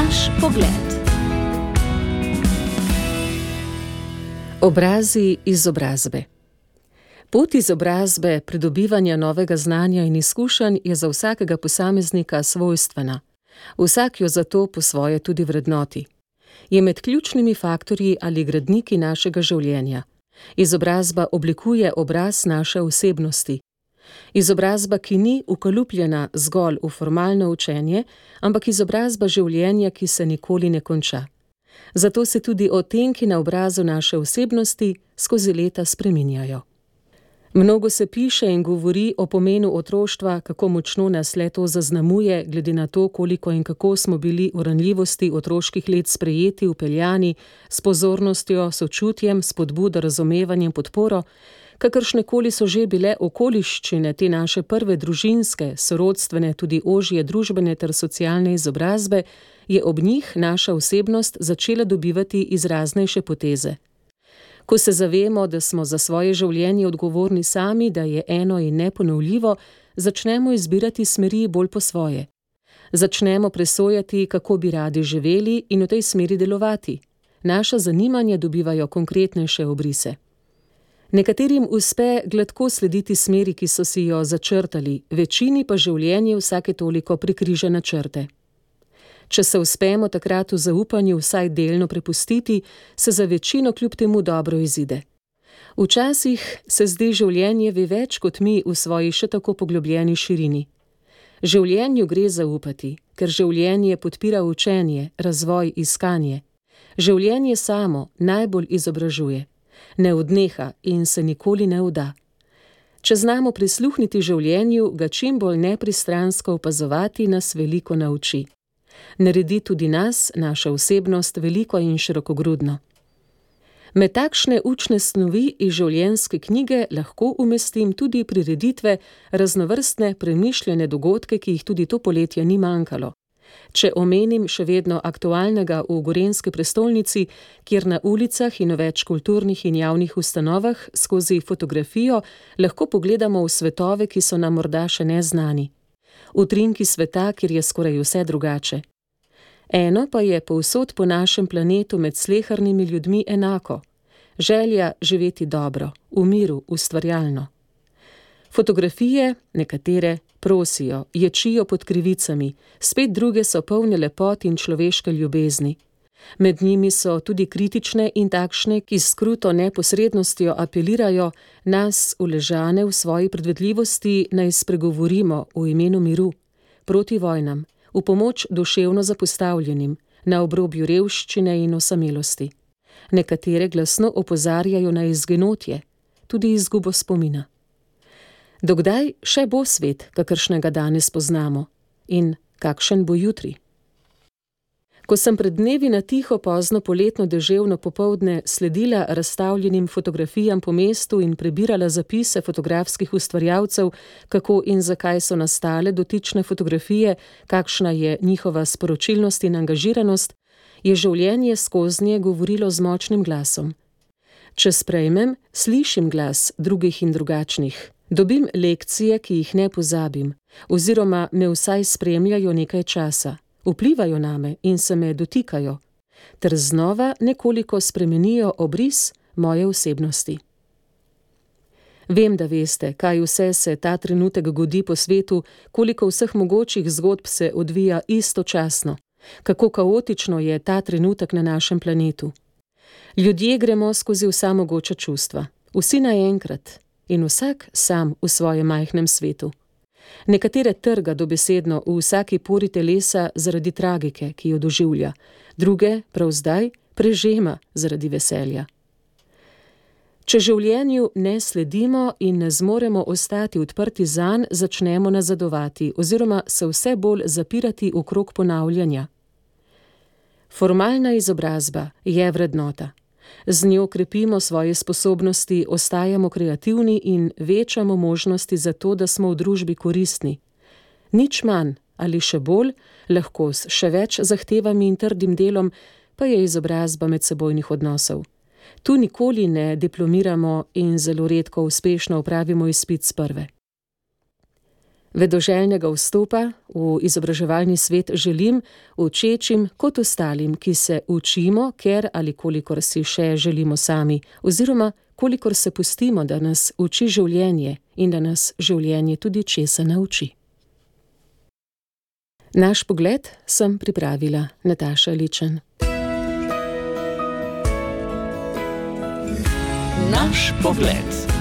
Naš pogled. Obrazi izobrazbe. Pot izobrazbe, pridobivanja novega znanja in izkušenj je za vsakega posameznika svojstvena. Vsak jo zato po svoje tudi vrednoti. Je med ključnimi faktorji ali gradniki našega življenja. Izobrazba oblikuje obraz naše osebnosti. Izobrazba, ki ni ukalupljena zgolj v formalno učenje, ampak izobrazba življenja, ki se nikoli ne konča. Zato se tudi odtenki na obrazu naše osebnosti skozi leta spreminjajo. Mnogo se piše in govori o pomenu otroštva, kako močno nas le-to zaznamuje, glede na to, koliko in kako smo bili v ranljivosti otroških let sprejeti, vpeljani, s pozornostjo, sočutjem, spodbudo, razumevanjem, podporo, kakršnekoli so že bile okoliščine te naše prve družinske, sorodstvene, tudi ožje družbene ter socialne izobrazbe, je ob njih naša osebnost začela dobivati izraznejše poteze. Ko se zavemo, da smo za svoje življenje odgovorni sami, da je eno in neponovljivo, začnemo izbirati smeri bolj po svoje. Začnemo presojati, kako bi radi živeli in v tej smeri delovati. Naša zanimanja dobivajo konkretnejše obrise. Nekaterim uspe gladko slediti smeri, ki so si jo začrtali, večini pa življenje vsake toliko prekriža načrte. Če se uspemo takrat v zaupanju vsaj delno prepustiti, se za večino kljub temu dobro izide. Včasih se zdi življenje ve več kot mi v svoji še tako poglobljeni širini. Življenju gre zaupati, ker življenje podpira učenje, razvoj, iskanje. Življenje samo najbolj izobražuje. Ne odneha in se nikoli ne vda. Če znamo prisluhniti življenju, ga čim bolj nepristransko opazovati, nas veliko nauči. Naredi tudi nas, naša osebnost, veliko in širokogrudno. Med takšne učne snovi iz življenjske knjige lahko umestim tudi prireditve, raznovrstne, premišljene dogodke, ki jih tudi to poletje ni manjkalo. Če omenim še vedno aktualnega v Gorenjski prestolnici, kjer na ulicah in v več kulturnih in javnih ustanovah skozi fotografijo lahko pogledamo v svetove, ki so nam morda še neznani. Utrinki sveta, kjer je skoraj vse drugače. Eno pa je povsod po našem planetu med slehernimi ljudmi enako. Želja živeti dobro, v miru, ustvarjalno. Fotografije, nekatere, prosijo, ječijo pod krivicami, spet druge so polne lepot in človeške ljubezni. Med njimi so tudi kritične in takšne, ki s kruto neposrednostjo apelirajo, nas, uležane v svoji predvedljivosti, naj spregovorimo v imenu miru, proti vojnam, v pomoč duševno zapostavljenim, na obrobju revščine in osamelosti. Nekatere glasno opozarjajo na izginotje, tudi izgubo spomina. Dokdaj še bo svet, kakršnega danes poznamo? In kakšen bo jutri? Ko sem pred dnevi na tiho pozno poletno deževno popoldne sledila razstavljenim fotografijam po mestu in prebirala zapise fotografskih ustvarjalcev, kako in zakaj so nastale dotične fotografije, kakšna je njihova sporočilnost in angažiranost, je življenje skoznje govorilo z močnim glasom. Če sprejmem, slišim glas drugih in drugačnih. Dobim lekcije, ki jih ne pozabim, oziroma me vsaj spremljajo nekaj časa. Vplivajo name in se me dotikajo, ter znova nekoliko spremenijo obris moje osebnosti. Vem, da veste, kaj vse se ta trenutek godi po svetu, koliko vseh mogočih zgodb se odvija istočasno, kako kaotično je ta trenutek na našem planetu. Ljudje gremo skozi vsa mogoča čustva, vsi naenkrat in vsak sam v svojem majhnem svetu. Nekatere trga dobesedno v vsaki pori telesa zaradi tragike, ki jo doživlja, druge, prav zdaj, prežema zaradi veselja. Če življenju ne sledimo in ne zmoremo ostati odprti zanj, začnemo nazadovati oziroma se vse bolj zapirati v krog ponavljanja. Formalna izobrazba je vrednota. Z njo krepimo svoje sposobnosti, ostajamo kreativni in večamo možnosti za to, da smo v družbi koristni. Nič manj ali še bolj, lahko s še več zahtevami in trdim delom, pa je izobrazba medsebojnih odnosov. Tu nikoli ne diplomiramo in zelo redko uspešno opravimo izpit s prve. Vedoželjnega vstopa v izobraževalni svet želim učečim kot ostalim, ki se učimo, ker ali kolikor si še želimo sami, oziroma kolikor se pustimo, da nas uči življenje in da nas življenje tudi česa nauči. Naš pogled sem pripravila Nataša Ličen. Naš pogled.